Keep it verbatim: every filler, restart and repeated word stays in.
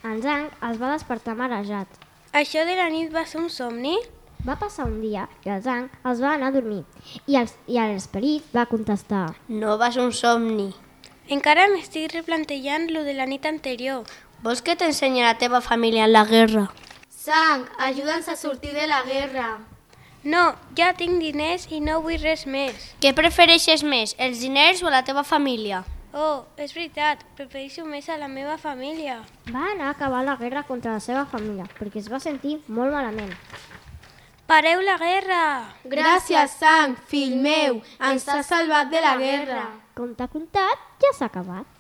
En Zhang es va despertar marejat. Això de la nit va ser un somni? Va passar un dia i el Zhang es va anar a dormir i el- i l'esperit va contestar: No va ser un somni. Encara m'estic replantejant lo de la nit anterior. Vols que t'ensenyi la teva família en la guerra? Zhang, ajuda'ns a sortir de la guerra. No, ja tinc diners i no vull res més. Què prefereixes més, els diners o la teva família? Oh, és veritat, prefereixo més a la meva família. Va anar a acabar la guerra contra la seva família perquè es va sentir molt malament. Pareu la guerra! Gràcies, Zhang, fill meu, ens has salvat de la guerra. Com t'ha contat, ja s'ha acabat.